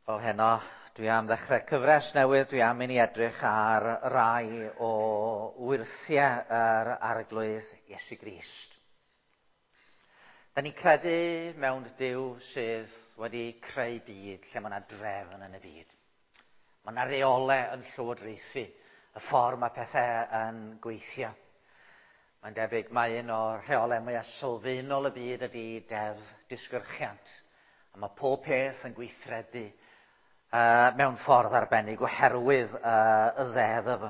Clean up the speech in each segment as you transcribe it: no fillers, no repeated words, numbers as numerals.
Fel heno, dwi am ddechrau cyfres newydd, dwi am i ni edrych ar rai o wyrthiau yr Arglwydd Iesu Grist. Da ni'n credu mewn Duw sydd wedi creu byd lle mae yna drefn yn y byd. Mae yna reolau yn llywodraethu y ffordd mae pethau yn gweithio. Mae'n debyg mae un o'r rheolau mwyaf sylfaenol y byd ydy deddf disgyrchiant. A mae pob peth yn gweithredu mewn ffordd arbennig oherwydd y ddeddf,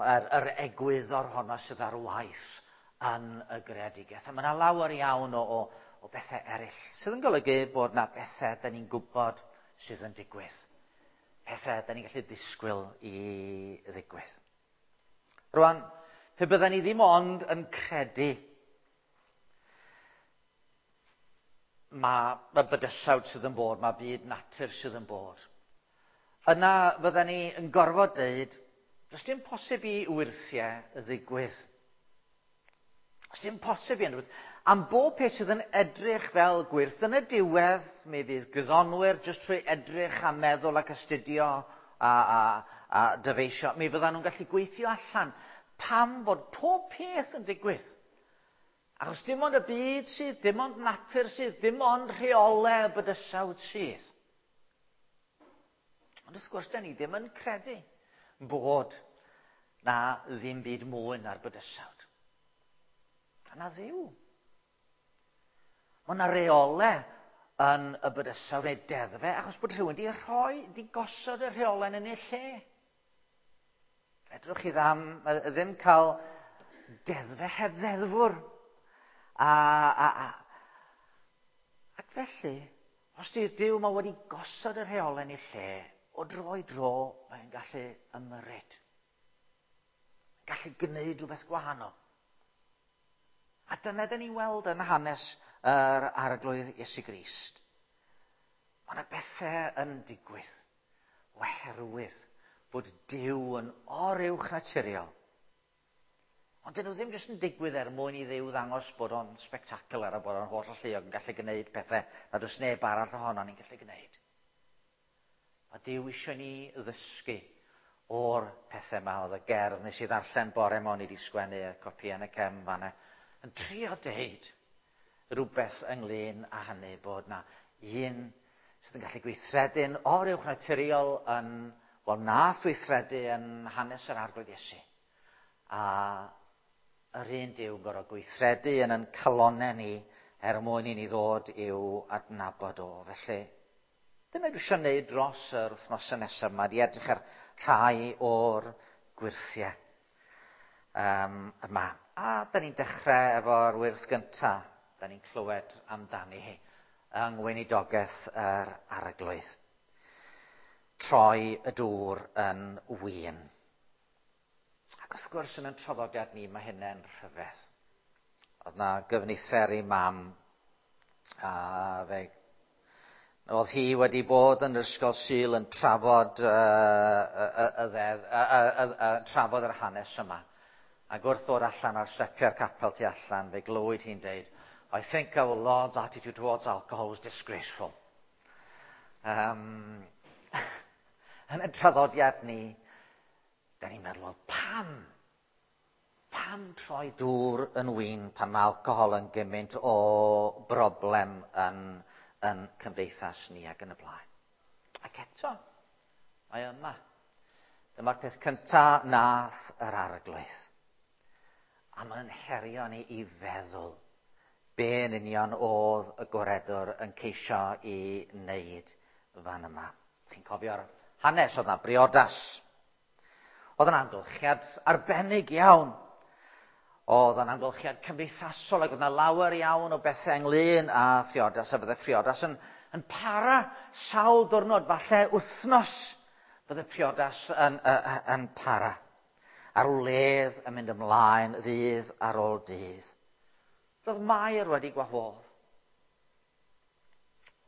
yr egwyddor honno sydd ar waith yn y greadigaeth. A mae yna lawer iawn o bethau eraill sydd yn golygu bod yna bethau da ni'n gwybod sydd yn digwydd. Pethau da ni'n gallu disgwyl i ddigwydd. Rwan, pe bydden ni ddim ond yn credu mae y bydysawd sydd yn bod, mae byd natur sydd yn bod. Yna fydden ni yn gorfod deud, does dim posib i wyrthiau ddigwydd. Does dim posib i unrhyw. Am bob peth sydd yn edrych fel gwyrth, yn y diwedd, mi fydd gwyddonwyr jyst trwy edrych a meddwl ac astudio a dyfeisio, mi fyddan nhw'n gallu gweithio allan pam fod pob peth yn digwydd. Achos dim ond y byd sydd, dim ond natur sydd, dim ond rheolau y bydysawd sydd. Ond wrth gwrs, da ni ddim yn credu bod na ddim byd mwy na'r bydysawd. A na Dduw. Mae yna reolau yn y bydysawd neu deddfau achos bod rhywun wedi rhoi, wedi gosod y rheolau yn ei lle. Fedrwch chi ddim cael deddfau heb ddeddfwr. Ac felly, os di'r Duw mae wedi gosod y rheolau yn ei lle, o dro i dro, mae'n gallu ymyrryd. Gallu gwneud rhywbeth gwahanol. A dyna dyn ni'n weld yn hanes yr Arglwydd Iesu Grist. Mae yna bethau yn digwydd oherwydd bod Duw yn oruwch naturiol. Ond dyn nhw ddim jyst yn digwydd er mwyn i Dduw ddangos bod o'n spectacular a bod o'n holl alluog yn gallu gwneud pethau nad oes neb arall ohono ni'n gallu gwneud. Mae Duw eisiau ni ddysgu o'r pethau yma. Oedd y gerdd nes i ddarllen bore yma, o'n i wedi sgwennu y copi yn y cefn fanna, yn trio deud rhywbeth ynglyn â hynny, bod na un sydd yn gallu gweithredu'n oruwch naturiol yn, wel, nath weithredu yn hanes yr Arglwydd Iesu. A yr un Duw yn gorfod gweithredu yn ein calonnau ni er mwyn i ni ddod i'w adnabod o. Felly, dyna dwi eisiau gwneud dros yr wythnosau nesaf yma, di edrych ar rhai o'r gwyrthiau yma. A da ni'n dechrau efo'r wyrth gyntaf, da ni'n clywed amdani hi, yng ngweinidogaeth yr Arglwydd. Troi y dŵr yn win. Ac wrth gwrs yn ein traddodiad ni mae hynny'n rhyfedd. Oedd na gyfnither i mam, a fe oedd hi wedi bod yn yr ysgol Sul yn trafod, trafod yr hanes yma. Ac wrth ddod allan ar stepiau'r capel tu allan, fe glywyd hi'n deud, I think our Lord's attitude towards alcohol was disgraceful. Yn y traddodiad ni, da ni'n meddwl, wel, pam? Pam troi dŵr yn win pan mae alcohol yn gymaint o broblem yn cymdeithas ni ac yn y blaen? Ac eto, mae yma. Dyma'r peth cyntaf nath yr Arglwydd. A mae'n herio ni i feddwl be yn union oedd y gwaredwr yn ceisio i wneud fan yma. Chi'n cofio'r hanes, oedd yna briodas. Oedd yna amgylchiad arbennig iawn. Oedd yna amgylchiad cymdeithasol ac oedd yna lawer iawn o bethau ynglyn â phriodas, a fydde priodas yn para sawl diwrnod, falle wythnos fydde priodas yn para. A'r wledd yn mynd ymlaen ddydd ar ôl dydd. Roedd Mair wedi gwahodd.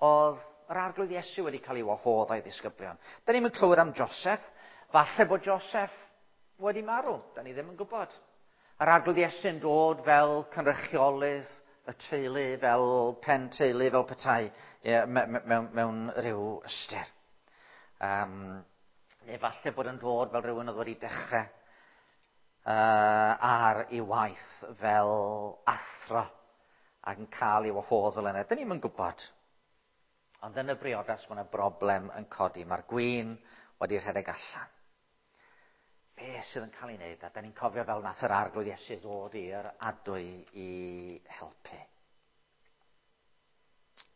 Oedd yr Arglwydd Iesu wedi cael ei wahodd a'i ddisgyblion. Da ni'n clywed am Joseph. Falle bod Joseph wedi marw. Da ni ddim yn gwybod. Yr Arglwydd Iesu'n dod fel cynrychiolydd y teulu, fel pen teulu, fel petai, mewn rhyw ystyr. Neu falle bod yn dod fel rhywun oedd wedi dechrau ar ei waith fel athro ac yn cael ei wahodd fel yna. Dyn ni'm yn gwybod. Ond yn y briodas mae yna broblem yn codi. Mae'r gwin wedi rhedeg allan. Be sydd yn cael ei wneud? A da ni'n cofio fel nath yr Arglwydd Iesu ddod i'r adwy i helpu.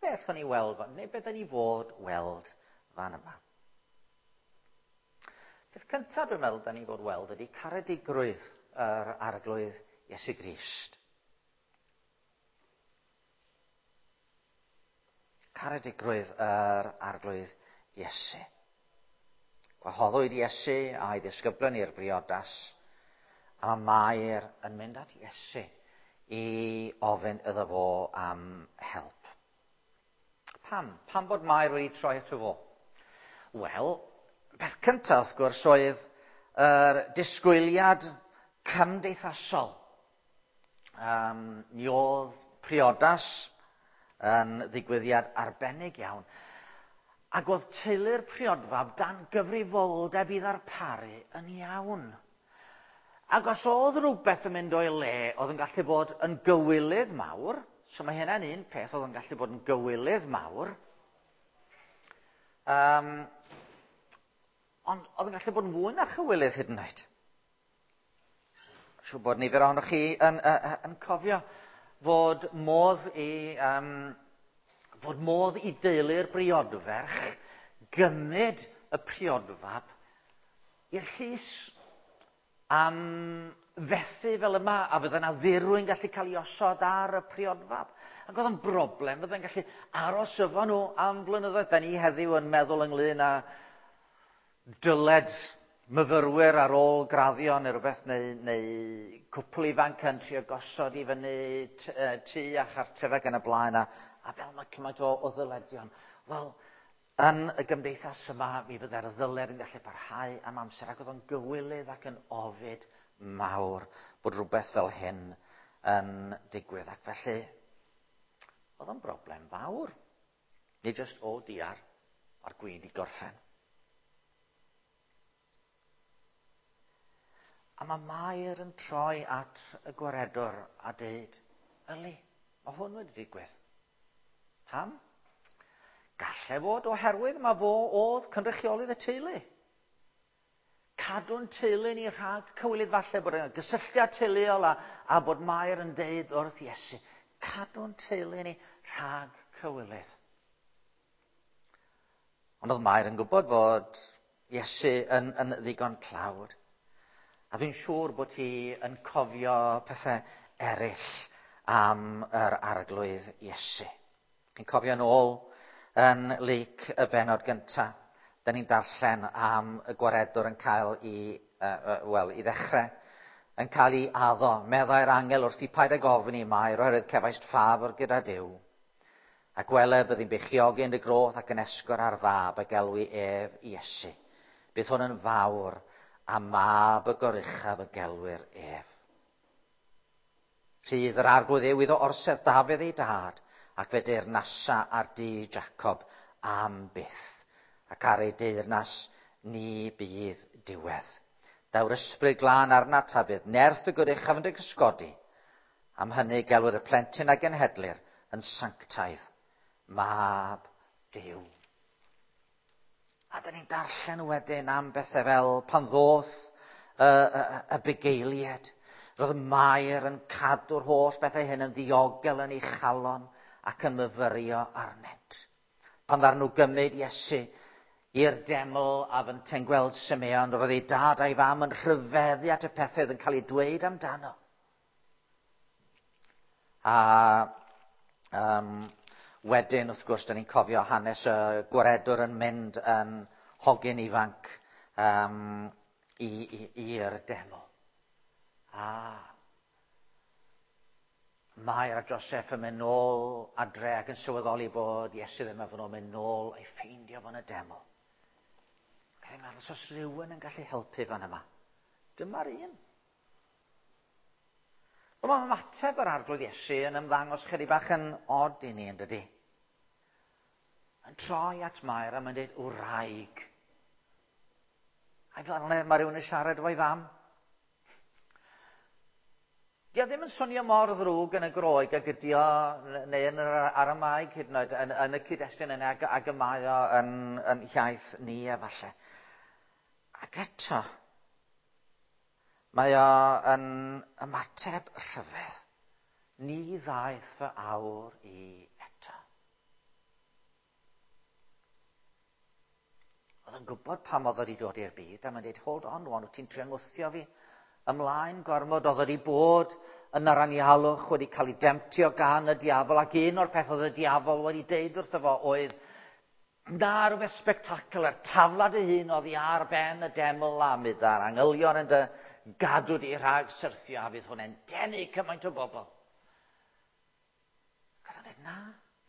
Be allwn ni weld, neu be da ni fod weld fan yma? Peth cyntaf dwi'n meddwl da ni fod weld ydy caredigrwydd yr Arglwydd Iesu Grist. Caredigrwydd yr Arglwydd Iesu. Gwahoddwyd Iesu a'i ddisgyblion i'r briodas, a mae Mair yn mynd at Iesu i ofyn iddo fo am help. Pam? Pam bod Mair wedi troi ato fo? Wel, peth cyntaf wrth gwrs oedd yr disgwyliad cymdeithasol. Mi oedd priodas yn ddigwyddiad arbennig iawn, ac oedd teulu'r priodfab dan gyfrifoldeb i ddarparu yn iawn. Ac os oedd rhywbeth yn mynd o'i le, oedd yn gallu bod yn gywilydd mawr, so mae hynna'n un peth, oedd yn gallu bod yn gywilydd mawr, ond oedd yn gallu bod yn fwy na chywilydd hyd yn oed. Siŵr bod nifer ohonoch chi yn cofio fod modd i, fod modd i deulu'r briodferch gymryd y priodfab i'r llys am fethu fel yma, a fydde yna ddirwy'n gallu cael ei osod ar y priodfab. Ac oedd yn broblem, fydde'n gallu aros efo nhw am flynyddoedd. Da ni heddiw yn meddwl ynglyn â dyled myfyrwyr ar ôl graddio neu rhywbeth, neu cwpl ifanc yn trio gosod i fyny tŷ a chartref ac yn y blaen, a fel mae cymaint o ddyledion. Wel, yn y gymdeithas yma, mi fydde'r ddyled yn gallu parhau am amser, ac oedd o'n gywilydd ac yn ofid mawr bod rhywbeth fel hyn yn digwydd. Ac felly, oedd o'n broblem fawr. Nid jyst, o diar, mae'r gwin i gorffen. A mae Mair yn troi at y gwaredwr a deud, yli, mae hwn wedi digwydd. Pam? Galle fod oherwydd mae fo oedd cynrychiolydd y teulu. Cadw'n teulu ni rhag cywilydd, falle bod yna gysylltiad teuluol a bod Mair yn deud wrth Iesu, cadw'n teulu ni rhag cywilydd. Ond oedd Mair yn gwybod fod Iesu yn ddigon tlawd. A dwi'n siŵr bod hi yn cofio pethau eraill am yr Arglwydd Iesu. Chi'n cofio yn ôl yn Luc y bennod gyntaf, da ni'n darllen am y gwaredwr yn cael i, wel, i ddechrau, yn cael ei addo. Meddai'r angel wrth i paid ag ofni i Mair, oherwydd cefaist ffafr gyda Duw. A gwele byddi'n beichiogi yn dy groth ac yn esgor ar fab a gelwi ef Iesu. Bydd hwn yn fawr a mab y goruchaf y gelwir ef. Rhydd yr Arglwydd yw iddo orsedd Dafydd ei dad, ac fe deyrnasa ar dŷ Jacob am byth, ac ar ei deyrnas ni bydd diwedd. Daw'r ysbryd glân arnat a bydd nerth y goruchaf yn dy gysgodi. Am hynny gelwir y plentyn a genhedlir yn sanctaidd, mab Duw. A da ni'n darllen wedyn am bethau fel pan ddoth y bugeiliaid. Roedd Mair yn cadw'r holl bethau hyn yn ddiogel yn ei chalon ac yn myfyrio arnynt. Pan ddaru nhw gymryd Iesu i'r deml a fynte'n gweld Simeon, roedd ei dad a'i fam yn rhyfeddu at y pethau oedd yn cael eu dweud amdano. A wedyn, wrth gwrs, da ni'n cofio hanes y gwaredwr yn mynd yn hogyn ifanc i'r deml. A Mair a Joseph yn mynd nôl adre ac yn sylweddoli bod Iesu ddim efo nhw, mynd nôl a'i ffeindio fo'n y deml. Ac yn meddwl, os oes rhywun yn gallu helpu fan yma, dyma'r un. Wel, mae ymateb yr Arglwydd Iesu yn ymddangos chydig bach yn od i ni, yn dydi? Yn troi at Mair a mae'n dweud, wraig. A fel yna mae rhywun yn siarad efo'i fam. Di o ddim yn swnio mor ddrwg yn y Groeg ag ydi o, neu yn yr Aramaeg hyd yn oed, yn y cyd-destun yna ag y mae o yn iaith ni efallai. Ac eto, mae o yn ymateb rhyfedd. Ni ddaeth fy awr i eto. Oedd yn gwybod pam oedd wedi dod i'r byd, a mae'n dweud, hold on, rwan, wyt ti'n trio ngwthio fi ymlaen gormod. Oedd wedi bod yn yr anialwch, wedi cael ei demtio gan y diafol, ac un o'r peth oedd y diafol wedi deud wrtho fo oedd, na rhywbeth spectacular, taflad ei hun oddi ar ben y deml a mynd a'r angylion yn dy gadw di rhag syrthio, a fydd hwnna'n denu cymaint o bobl. Ac oedd o'n dweud, na,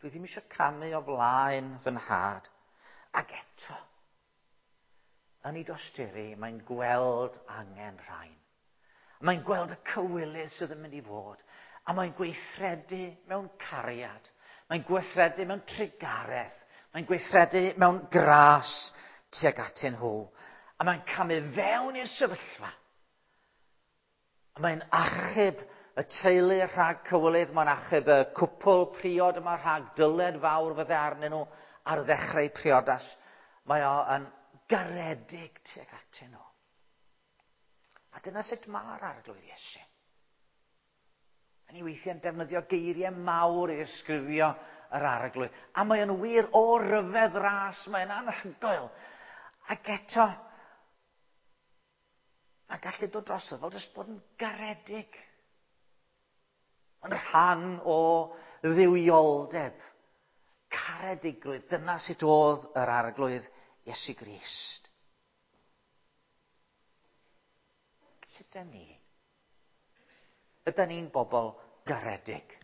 dwi ddim eisiau camu o flaen fy nhad. Ac eto, yn ei dosturi, mae'n gweld angen rhain. Mae'n gweld y cywilydd sydd yn mynd i fod. A mae'n gweithredu mewn cariad. Mae'n gweithredu mewn trugaredd. Mae'n gweithredu mewn gras tuag atyn nhw. A mae'n camu fewn i'r sefyllfa. A mae'n achub y teulu rhag cywilydd. Mae'n achub y cwpl priod yma rhag dyled fawr fydde arnyn nhw ar ddechrau priodas. Mae o yn garedig tuag atyn nhw. A dyna sut mae'r Arglwydd Iesu. A ni weithiau'n defnyddio geiriau mawr i ddisgrifio yr Arglwydd. A mae o'n wir o ryfedd ras, mae'n anhygoel. Ac eto, mae'n gallu dod drosodd fel jyst bod yn garedig. Yn rhan o dduwioldeb, caredigrwydd. Dyna sut oedd yr Arglwydd Iesu Grist. Sut ydyn ni? Ydyn ni'n bobl garedig?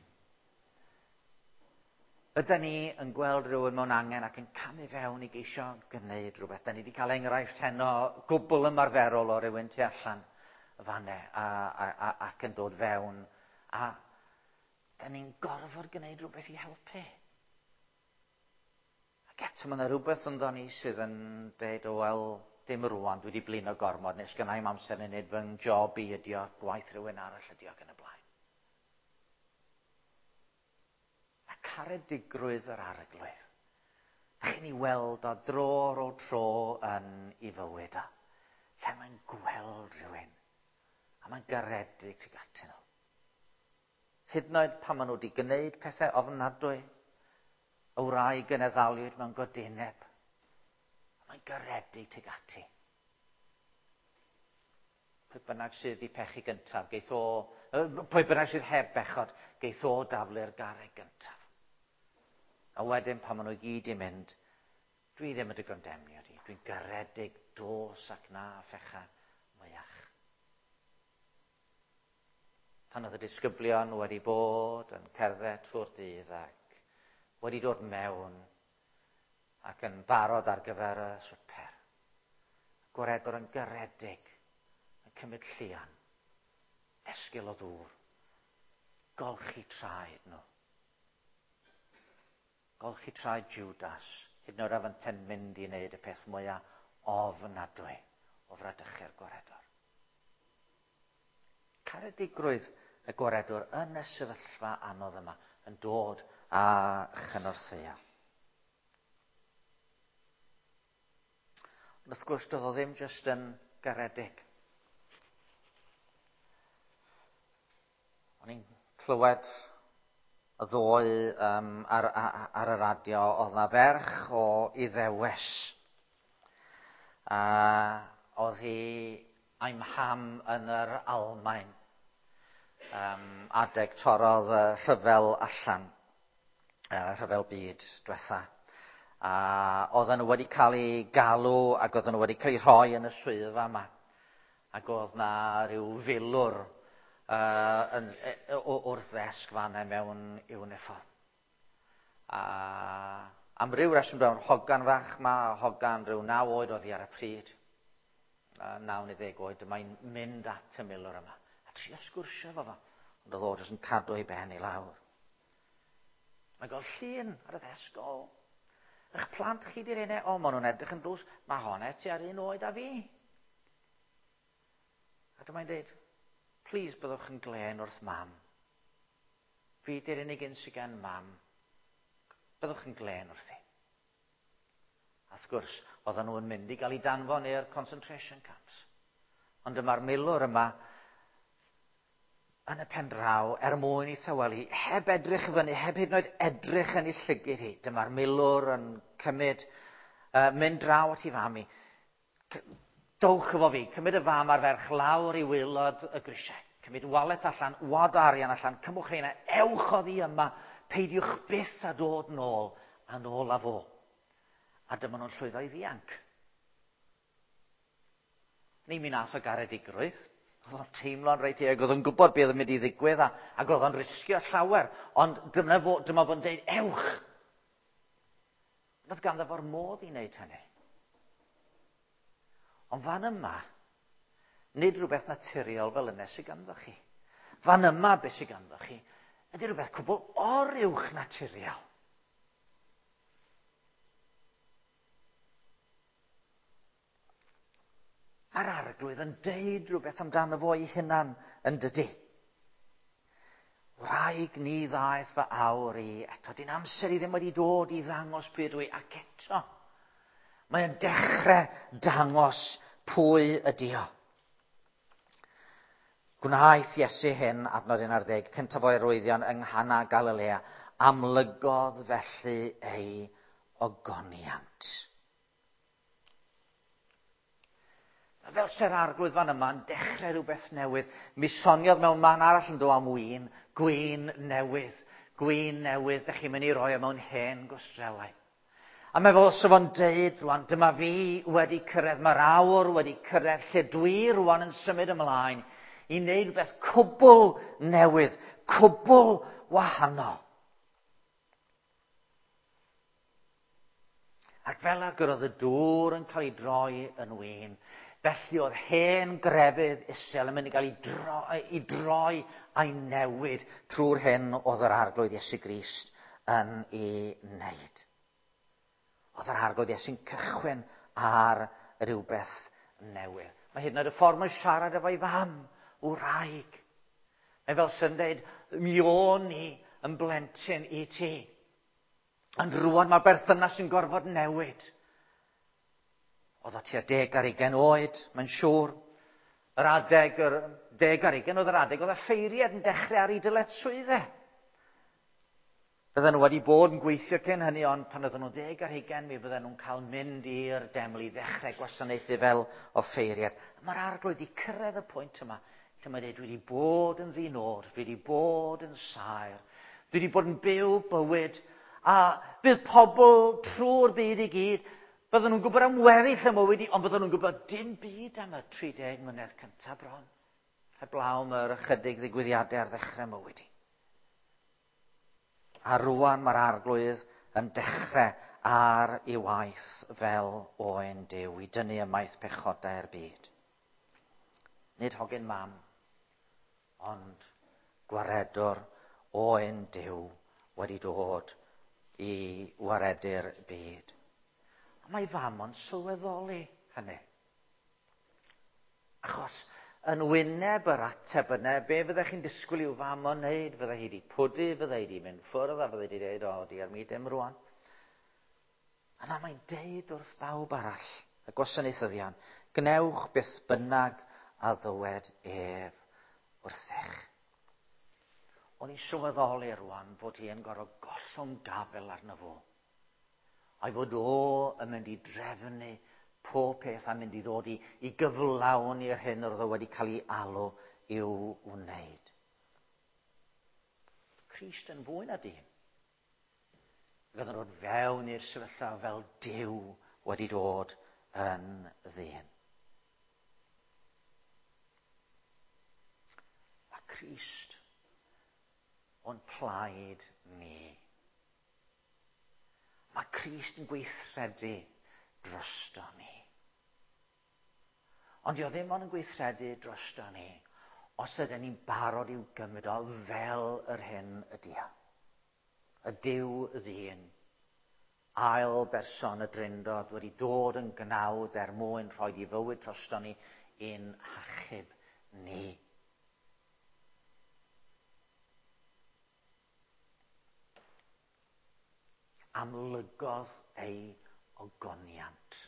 Ydyn ni yn gweld rhywun mewn angen ac yn camu fewn i geisio gwneud rhywbeth? Da ni wedi cael enghraifft heno gwbl ymarferol o rywun tu allan y fanne ac yn dod fewn. A da ni'n gorfod gwneud rhywbeth i helpu. Ac eto mae yna rhywbeth ynddo ni sydd yn dweud, o wel, dim rwan, dwi wedi blino gormod, nes gynna i'm amser i wneud fy job i ydi o, gwaith rhywun arall ydi o ac yn y blaen. A caredigrwydd yr Arglwydd. Da chi'n ei weld o dro ar ôl tro yn ei fywyd o. Lle mae'n gweld rhywun. A mae'n garedig tuag atyn nhw. Hyd yn oed pan maen nhw wedi gwneud pethau ofnadwy, y wraig yn eddaliwyd mewn godineb. Mae'n garedig tuag ati. Pwy bynnag sydd wedi pechu gyntaf, geith o, pwy bynnag sydd heb bechod, geith o daflu'r garreg gyntaf. A wedyn pan maen nhw i gyd i mynd, dwi ddim yn dy gondemnio di, dwi'n garedig dos ac na phecha mwyach. Pan oedd y disgyblion wedi bod yn cerdded trwy'r dydd ac wedi dod mewn ac yn barod ar gyfer y swper. Gwaredwr yn garedig, yn cymryd llian, esgil o ddŵr, golchi traed nhw. Golchi traed Judas, hyd yn oed afynte'n mynd i wneud y peth mwyaf ofnadwy o fradychu'r gwaredwr. Caredigrwydd y gwaredwr yn y sefyllfa anodd yma yn dod a chynorthwyo. Ond wrth gwrs, doedd o ddim jyst yn garedig. O'n i'n clywed y ddoe ar y radio, oedd na ferch o Iddewes. A oedd hi a'i mham yn yr Almaen. Adeg torrodd y rhyfel allan, rhyfel byd diwetha. A oedden nhw wedi cael eu galw ac oedden nhw wedi cael eu rhoi yn y swyddfa yma. Ac oedd na ryw filwr wrth ddesg fan'na mewn uniform. A am ryw reswm dwi'n hogan fach ma, hogan rhyw 9 oed oedd hi ar y pryd. 9 neu 10 oed, mae'n mynd at y milwr yma. A trio sgwrsio efo fo, ond oedd o jyst yn cadw ei ben i lawr. Mae'n gweld llun ar y ddesg, o, eich plant chi di'r enau, o, maen nhw'n edrych yn dlws, mae hon eti ar un oed â fi. A dyma'n dweud, please byddwch yn glên wrth mam. Fi di'r unig un sydd gen mam. Byddwch yn glên wrthi. A wrth gwrs, oedden nhw yn mynd i gael eu danfon i'r concentration camps. Ond dyma'r milwr yma yn y pen draw er mwyn i thawelu, heb edrych i fyny, heb hyd yn oed edrych yn ei llygyd hi. Dyma'r milwr yn cymryd, mynd draw at ei fam i. Dowch efo fi, cymryd y fam a'r ferch lawr i waelod y grisiau. Cymryd walet allan, wad o arian allan, cymwch rheina, ewch oddi yma, peidiwch byth a dod nôl, a nôl â fo. A dyma nhw'n llwyddo i ddianc. Ni mi nath o garedigrwydd. Oedd o'n teimlo'n reit euog, oedd o'n gwybod beth oedd yn mynd i ddigwydd, a, ac oedd o'n risgio llawer. Ond dyma fo, dyma fo'n deud, ewch! Roedd ganddo fo'r modd i wneud hynny. Ond fan yma, nid rhywbeth naturiol fel yna sydd ganddo chi. Fan yma, beth sydd ganddo chi, ydy rhywbeth cwbl oruwch naturiol. Mae'r arglwydd yn deud rhywbeth amdano fo ei hunan yn dydy. Wraig ni ddaeth fy awr i eto. Dyn amser i ddim wedi dod i ddangos pwy ydw i ac eto. Mae'n dechrau dangos pwy ydy o. Gwnaeth Iesu hyn, adnod 11, cyntaf o'i arwyddion yng Nghana Galilea, amlygodd felly ei ogoniant. Mae fel se'r arglwydd fan yma yn dechrau rhywbeth newydd. Mi soniodd mewn man arall yn do am win, gwin newydd, gwin newydd, dych chi'n mynd i roi o mewn hen gwstrelau. A mae fel os fo'n deud rwan, dyma fi wedi cyrraedd, mae'r awr wedi cyrraedd lle dwi rwan yn symud ymlaen i wneud rhywbeth cwbl newydd, cwbl wahanol. Ac fel ag yr oedd y dŵr yn cael ei droi yn win, felly oedd hen grefydd isel yn mynd i gael ei droi, ei droi a'i newid trwy'r hyn oedd yr arglwydd Iesu Grist yn ei wneud. Oedd yr arglwydd Iesu'n cychwyn ar rhywbeth newydd. Mae hyd yn oed y ffordd mae'n siarad efo'i fam, wraig. Mae fel sy'n dweud, mi o'n i yn blentyn i ti. Ond rwan mae'r berthynas yn gorfod newid. Oedd o tua 20 oed, mae'n siŵr. Yr adeg, yr 20 oedd yr adeg, oedd y ffeiriad yn dechrau ar ei dyletswyddau. Bydden nhw wedi bod yn gweithio cyn hynny, ond pan oedden nhw'n 20, mi fydden nhw'n cael mynd i'r deml i ddechrau gwasanaethu fel offeiriad. Mae'r arglwydd wedi cyrraedd y pwynt yma, lle mae'n dweud, dwi wedi bod yn ddinod, dwi wedi bod yn saer, dwi wedi bod yn byw bywyd, a bydd pobl trwy'r byd i gyd, bydden nhw'n gwybod am weddill y mywyd i, ond bydden nhw'n gwybod dim byd am y 30 mlynedd cyntaf bron. Heblaw am yr ychydig ddigwyddiadau ar ddechrau mywyd i. A rwan mae'r arglwydd yn dechrau ar ei waith fel oen Duw i dynnu ymaith pechodau'r byd. Nid hogyn mam, ond gwaredwr oen Duw wedi dod i waredu'r byd. A mae fam o'n sylweddoli hynny. Achos yn wyneb yr ateb yna, be fyddech chi'n disgwyl i'w fam o'n wneud? Fydde hi wedi pwdu, fydde hi wedi mynd ffwrdd, a fydde hi wedi dweud, o, diar mi dim rwan. Yna mae'n deud wrth bawb arall, y gwasanaethyddion, gnewch beth bynnag a ddywed ef wrthych. O'n i'n sylweddoli rwan fod hi yn gorfod gollwng gafel arno fo. A'i fod o yn mynd i drefnu pob peth a mynd i ddod i, i gyflawni'r hyn oedd o wedi cael ei alw i'w wneud. Crist yn fwy na dyn. Ac oedd yn dod fewn i'r sefyllfa fel Duw wedi dod yn ddyn. Mae Crist o'n plaid ni. Mae Crist yn gweithredu drosto ni. Ond di o ddim ond yn gweithredu drosto ni os ydyn ni'n barod i'w gymryd o fel yr hyn ydy o. Y Duw ddyn, ail berson y Drindod wedi dod yn gnawd er mwyn rhoi i fywyd drosto ni i'n hachub ni. Amlygodd ei ogoniant.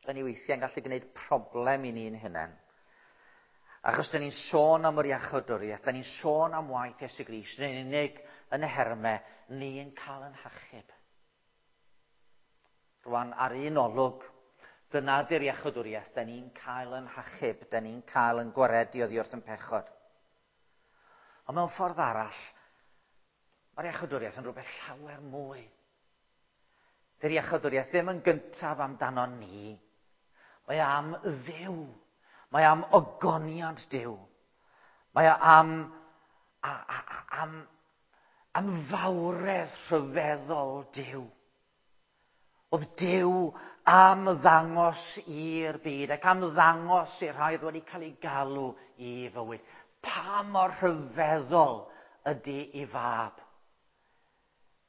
Da ni weithiau'n gallu gwneud problem i ni'n hunain. Achos da ni'n sôn am yr iachawdwriaeth, da ni'n sôn am waith Iesu Grist, yn unig yn y hermau, ni'n cael yn hachub. Rwan, ar un olwg, dyna di'r iachawdwriaeth, da ni'n cael yn hachub, da ni'n cael yn gwaredu oddi wrth yn pechod. Ond mewn ffordd arall, mae'r iachawdwriaeth yn rhywbeth llawer mwy. Dy'r iachawdwriaeth ddim yn gyntaf amdano ni. Mae am Dduw. Mae am ogoniant Duw. Mae am, a, a, a, am, am fawredd rhyfeddol Duw. Oedd Duw am ddangos i'r byd ac am ddangos i'r rhai oedd wedi cael ei galw i fywyd. Pa mor rhyfeddol ydy ei fab.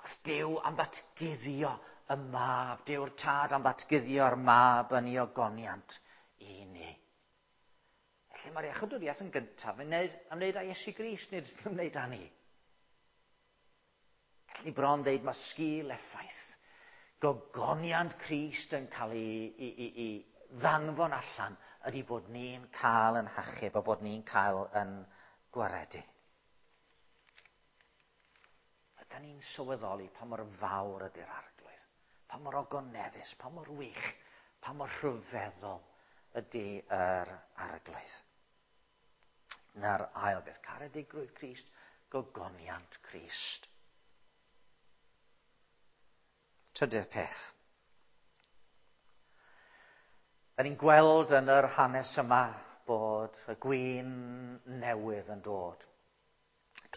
Os Duw am ddatguddio y mab, Duw'r tad am ddatguddio'r mab yn ei ogoniant i ni. Felly mae'r iachawdwriaeth yn gyntaf yn wneud, ymwneud â Iesu Grist, nid ymwneud â ni. Gallwn ni bron ddeud mae sgil effaith gogoniant Crist yn cael ei, ei, ei, ei ddanfon allan ydy bod ni'n cael yn hachub a bod ni'n cael yn gwaredu. Ydy ni'n sylweddoli pa mor fawr ydy'r arglwydd, pa mor ogoneddus, pa mor wych, pa mor rhyfeddol ydy yr arglwydd. Na'r ail beth, caredigrwydd Crist, gogoniant Crist. Trydydd peth. Da ni'n gweld yn yr hanes yma bod y gwin newydd yn dod.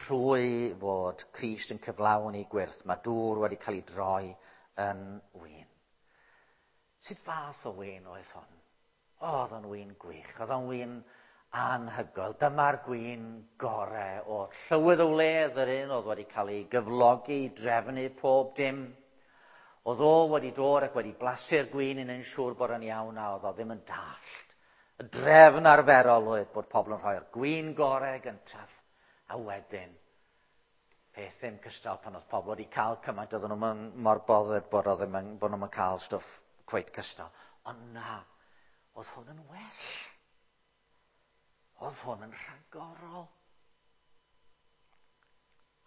Trwy fod Crist yn cyflawni gwyrth, mae dŵr wedi cael ei droi yn win. Sut fath o win oedd hwn? Oedd o'n win gwych, oedd o'n win anhygoel. Dyma'r gwin gore o'r llywydd y wledd, yr un oedd wedi cael ei gyflogi i drefnu pob dim. Oedd o wedi dod ac wedi blasu'r gwin yn yn siŵr bod yn iawn a oedd o ddim yn dallt. Y drefn arferol oedd bod pobl yn rhoi'r gwin gore gyntaf a wedyn peth ddim cystal pan oedd pobl wedi cael cymaint oedden nhw'n mor bothered bod, oedd ddim yn, bod nhw'n cael stwff cweit cystal. Ond na, oedd hwn yn well. Oedd hwn yn rhagorol.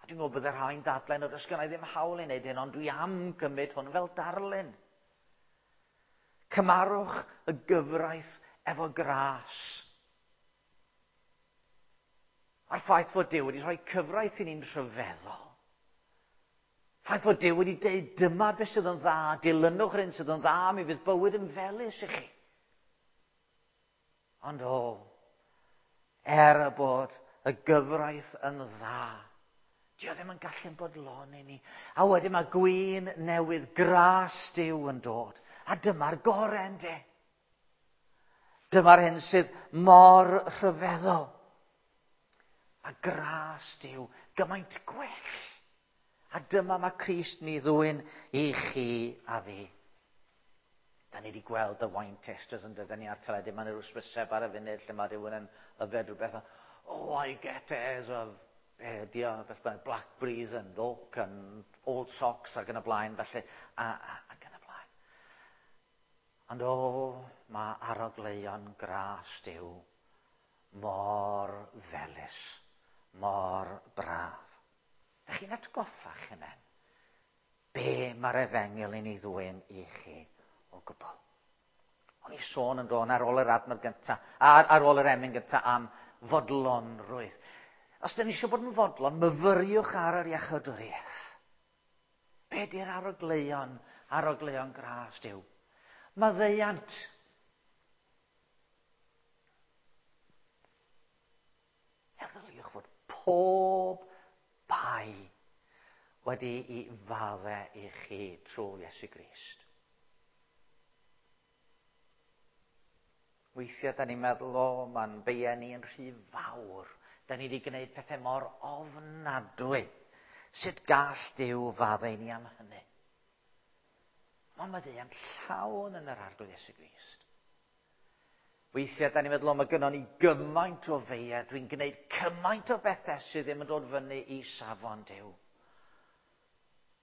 A dwi'n gwybod bydde rhai'n dadlau nad oes gennai ddim hawl i wneud hyn, ond dwi am gymryd hwn fel darlun. Cymarwch y gyfraith efo gras. A'r ffaith fod Duw wedi rhoi cyfraith i ni'n rhyfeddol. Ffaith fod Duw wedi dweud dyma beth sydd yn dda, dilynwch yr hyn sydd yn dda, mi fydd bywyd yn felys i chi. Ond o, er y bod y gyfraith yn dda, Dio ddim yn gallu'n bodloni ni. A wedyn mae gwin newydd, gras Duw yn dod. A dyma'r gorau ynde. Dyma'r hyn sydd mor rhyfeddol. A gras Duw gymaint gwell. A dyma mae Crist ni ddwyn i chi a fi. Da ni wedi gweld y wine testers yn dydyn ni ar teledu. Mae'n rhyw sbyseb ar y funud lle mae rhywun yn yfed rhywbeth. Oh, I get airs of eh, dio, beth bynnag, blackberries and oak and old socks ac yn y blaen, felly, a, a, ac yn y blaen. Ond o, mae arogleuon gras Duw mor felys, mor braf. Ydych chi'n atgoffa'ch hunain? Be mae'r efengyl yn ei ddwyn i chi o gwbl? O'n i sôn yn dod ar ôl yr adnod gyntaf, ar, ar ôl yr emyn gyntaf am fodlonrwydd. Os dyn ni eisiau bod yn fodlon, myfyriwch ar yr iachawdwriaeth. Be di'r arogleuon, arogleuon gras Duw? Maddeuant. Meddyliwch fod pob bai wedi i fadde i chi trwy Iesu Grist. Weithiau, da ni'n meddwl, o, mae'n beiau ni yn rhy fawr. Da ni wedi gwneud pethau mor ofnadwy. Sut gall Duw faddau ni am hynny? Mae maddeuant llawn yn yr arglwydd Iesu Grist. Weithiau, da ni'n meddwl, o, mae gynnon ni gymaint o feiau, dwi'n gwneud cymaint o bethau sydd ddim yn dod fyny i safon Duw.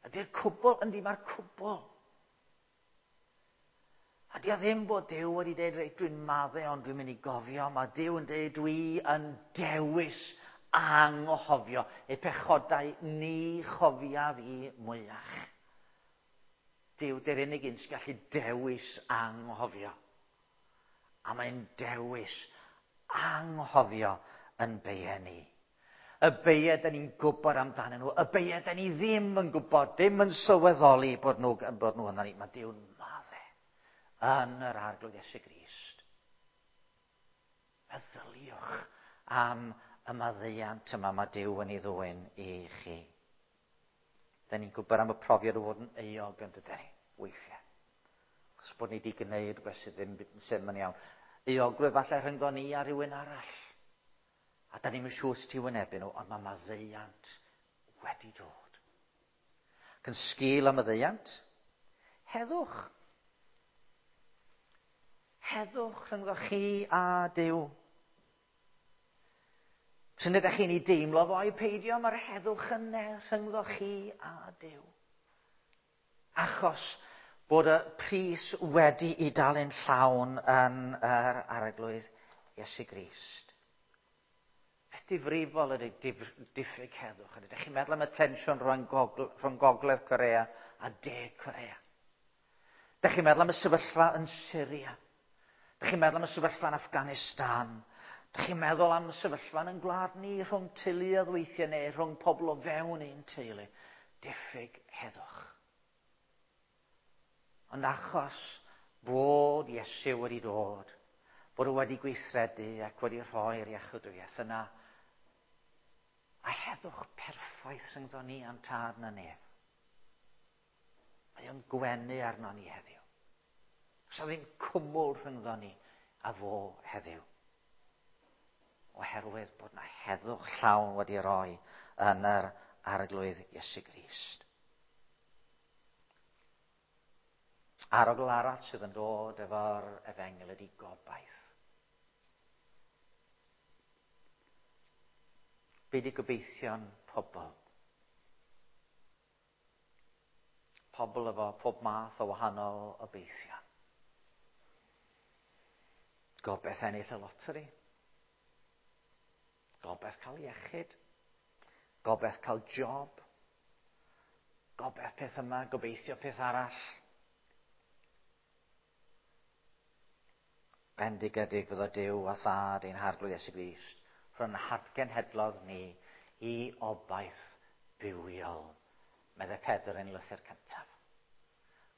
Ydy'r cwbl? Yndi, mae'r cwbl. A di o ddim bod Duw wedi dweud, reit, dwi'n maddau, ond dwi'n mynd i gofio. Mae Duw yn dweud, dwi yn dewis anghofio eu pechodau ni chofiaf i mwyach. Duw, dy'r unig un sy'n gallu dewis anghofio. A mae'n dewis anghofio yn beiau ni. Y beiau da ni'n gwybod amdanyn nhw, y beiau da ni ddim yn gwybod, ddim yn sylweddoli bod nhw yna ni. Mae Duw'n maddau yn yr Arglwydd Iesu Grist. Meddyliwch am y maddeuant yma mae Duw yn ei ddwyn i chi. Da ni'n gwybod am y profiad o fod yn euog yn dydyn ni, weithiau. Achos bod ni wedi gwneud rhywbeth sydd ddim yn iawn. Euogrwydd falle rhyngddo ni a rhywun arall. A da ni'n siŵr sut i wynebu nhw, ond mae maddeuant wedi dod. Ac yn sgil y maddeuant, heddwch. Heddwch rhyngddo chi a Duw. P'un ydych chi'n ei deimlo fo ai peidio, mae'r heddwch yna rhyngddo chi a Duw. Achos bod y pris wedi ei dalu'n llawn yn yr Arglwydd Iesu Grist. Beth difrifol ydy diffyg heddwch? Ydych chi'n meddwl am y tensiwn rhwng Gogledd Corea a De Corea? Ydych chi'n meddwl am y sefyllfa yn Syria? Ydych chi'n meddwl am y sefyllfa yn Afghanistan? Ydych chi'n meddwl am y sefyllfa yn gwlad ni rhwng teuluoedd weithiau neu rhwng pobl o fewn un teulu? Diffyg heddwch. Ond achos bod Iesu wedi dod, bod o wedi gweithredu ac wedi rhoi'r iachawdwriaeth yna, a heddwch perffaith rhyngddo ni a'n tad na nef. Mae o'n gwenu arno ni heddiw. Does 'na ddim cwmwl rhyngddo ni a fo heddiw. Oherwydd bod na heddwch llawn wedi roi yn yr Arglwydd Iesu Grist. Arogl arall sydd yn dod efo'r efengyl ydy gobaith. Be di gobeithion pobl? Pobl efo pob math o wahanol obeithion. Gobaith ennill y loteri. Gobaith cael iechyd. Gobaith cael job. Gobaith peth yma, gobeithio peth arall. Bendigedig fyddo Duw a Thad ein Harglwydd Iesu Grist, rhwng hadgenhedlodd ni i obaith bywiol, meddai Pedr yn lythyr cyntaf.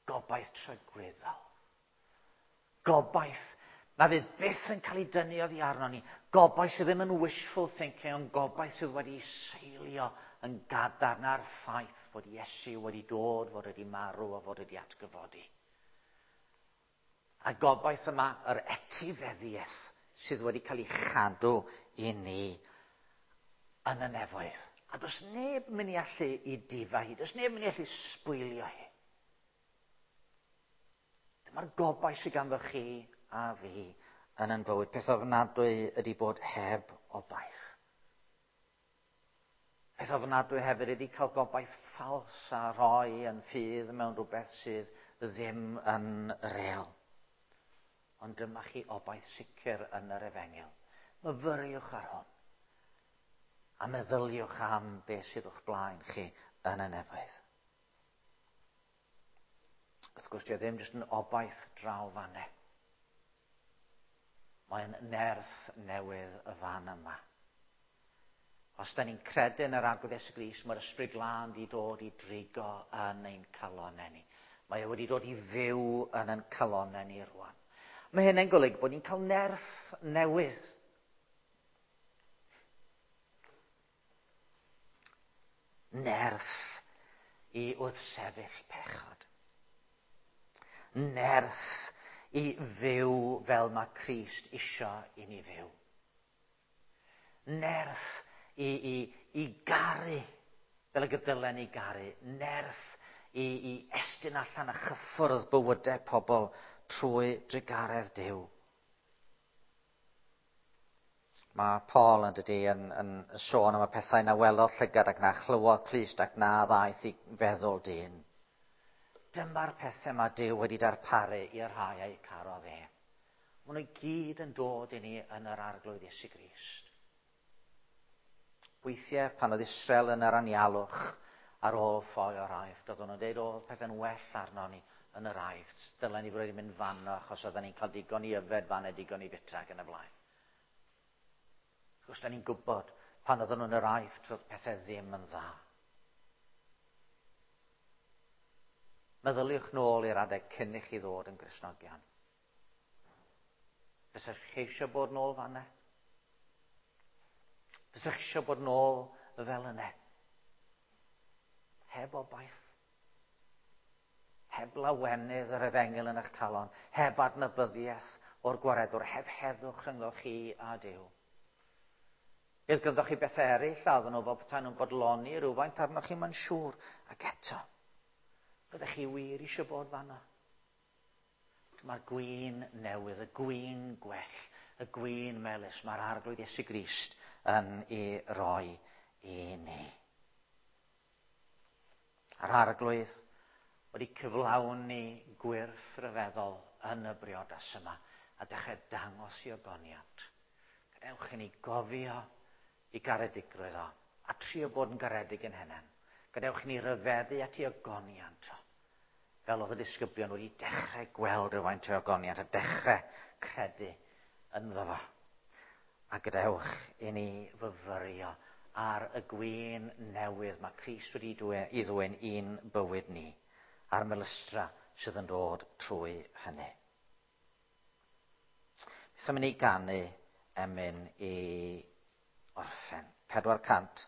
Gobaith tragwyddol. Gobaith na fydd byth yn cael ei dynnu oddi arno ni. Gobaith sydd ddim yn wishful thinking, ond gobaith sydd wedi seilio yn gadarn ar ffaith fod Iesu wedi dod, fod wedi marw a fod wedi atgyfodi. A gobaith yma, yr etifeddiaeth sydd wedi cael ei chadw i ni yn y nefoedd. A does neb mynd i allu i difa hi, does neb mynd i allu sbwylio hi. Dyma'r gobaith sydd ganddo chi a fi yn yn bywyd. Peth ofnadwy ydy bod heb obaith. Peth ofnadwy hefyd ydy cael gobaith ffals a rhoi yn ffydd mewn rhywbeth sydd ddim yn real. Ond dyma chi obaith sicr yn yr efengyl. Myfyriwch ar hwn. A meddyliwch am beth sydd o'ch blaen chi yn y nefoedd. Wrth gwrs, dio ddim jyst yn obaith draw fanne. Mae'n nerth newydd y fan yma. Os da ni'n credu yn yr Arglwydd Iesu Grist, mae'r Ysbryd Glân wedi dod i drigo yn ein calonnau ni. Mae e wedi dod i fyw yn ein calonnau ni rwan. Mae hynny'n golygu bod ni'n cael nerth newydd. Nerth i wrthsefyll pechod. Nerth i fyw fel mae Crist isio i ni fyw. Nerth i garu fel y gydylen i garu. Nerth i estyn allan a chyffwrdd bywydau pobl trwy drugaredd Duw. Mae Paul yn dydy yn sôn am y pethau na welodd llygad ac na chlywodd clust ac na ddaeth i feddwl dyn. Dyma'r pethau mae Duw wedi darparu i'r rhai a'i carodd e. Maen nhw i gyd yn dod i ni yn yr Arglwydd Iesu Grist. Weithiau, pan oedd Israel yn yr anialwch ar ôl ffoi o'r Aifft, oedden nhw'n dweud, oedd pethau'n well arno ni yn yr Aifft. Dylen ni fod wedi mynd fanno achos oedden ni'n cael digon i yfed fan a digon i fita ac yn y blaen. Wrth gwrs, da ni'n gwybod pan oedden nhw'n yr Aifft, roedd pethau ddim yn dda. Meddyliwch nôl i'r adeg cyn i chi ddod yn Gristnogion. Fysech chi eisiau bod nôl fanna? Fysech chi eisiau bod nôl fel yna? Heb obaith. Heb lawenydd yr efengyl yn eich calon. Heb adnabyddiaeth o'r gwaredwr. Heb heddwch rhyngddo chi a Duw. Bydd gyda chi bethau eraill a oedden nhw fel petai nhw'n bodloni rhywfaint arnoch chi, mae'n siŵr. Ac eto, fyddech chi wir eisiau bod fanna? Mae'r gwin newydd, y gwin gwell, y gwin melys, mae'r Arglwydd Iesu Grist yn ei roi i ni. A'r Arglwydd wedi cyflawni gwyrth rhyfeddol yn y briodas yma a dechrau dangos i ogoniant. Gadewch i ni gofio i garedigrwydd o, a trio bod yn garedig yn henen. Gadewch i ni ryfeddu at ei ogoniant o. Fel oedd y disgyblion wedi dechrau gweld rhywfaint o ogoniant a dechrau credu ynddo fo. A gadewch i ni fyfyrio ar y gwin newydd mae Crist wedi i ddwyn i'n bywyd ni, a'r melystra sydd yn dod trwy hynny. Beth am i ni ganu emyn i orffen? 400.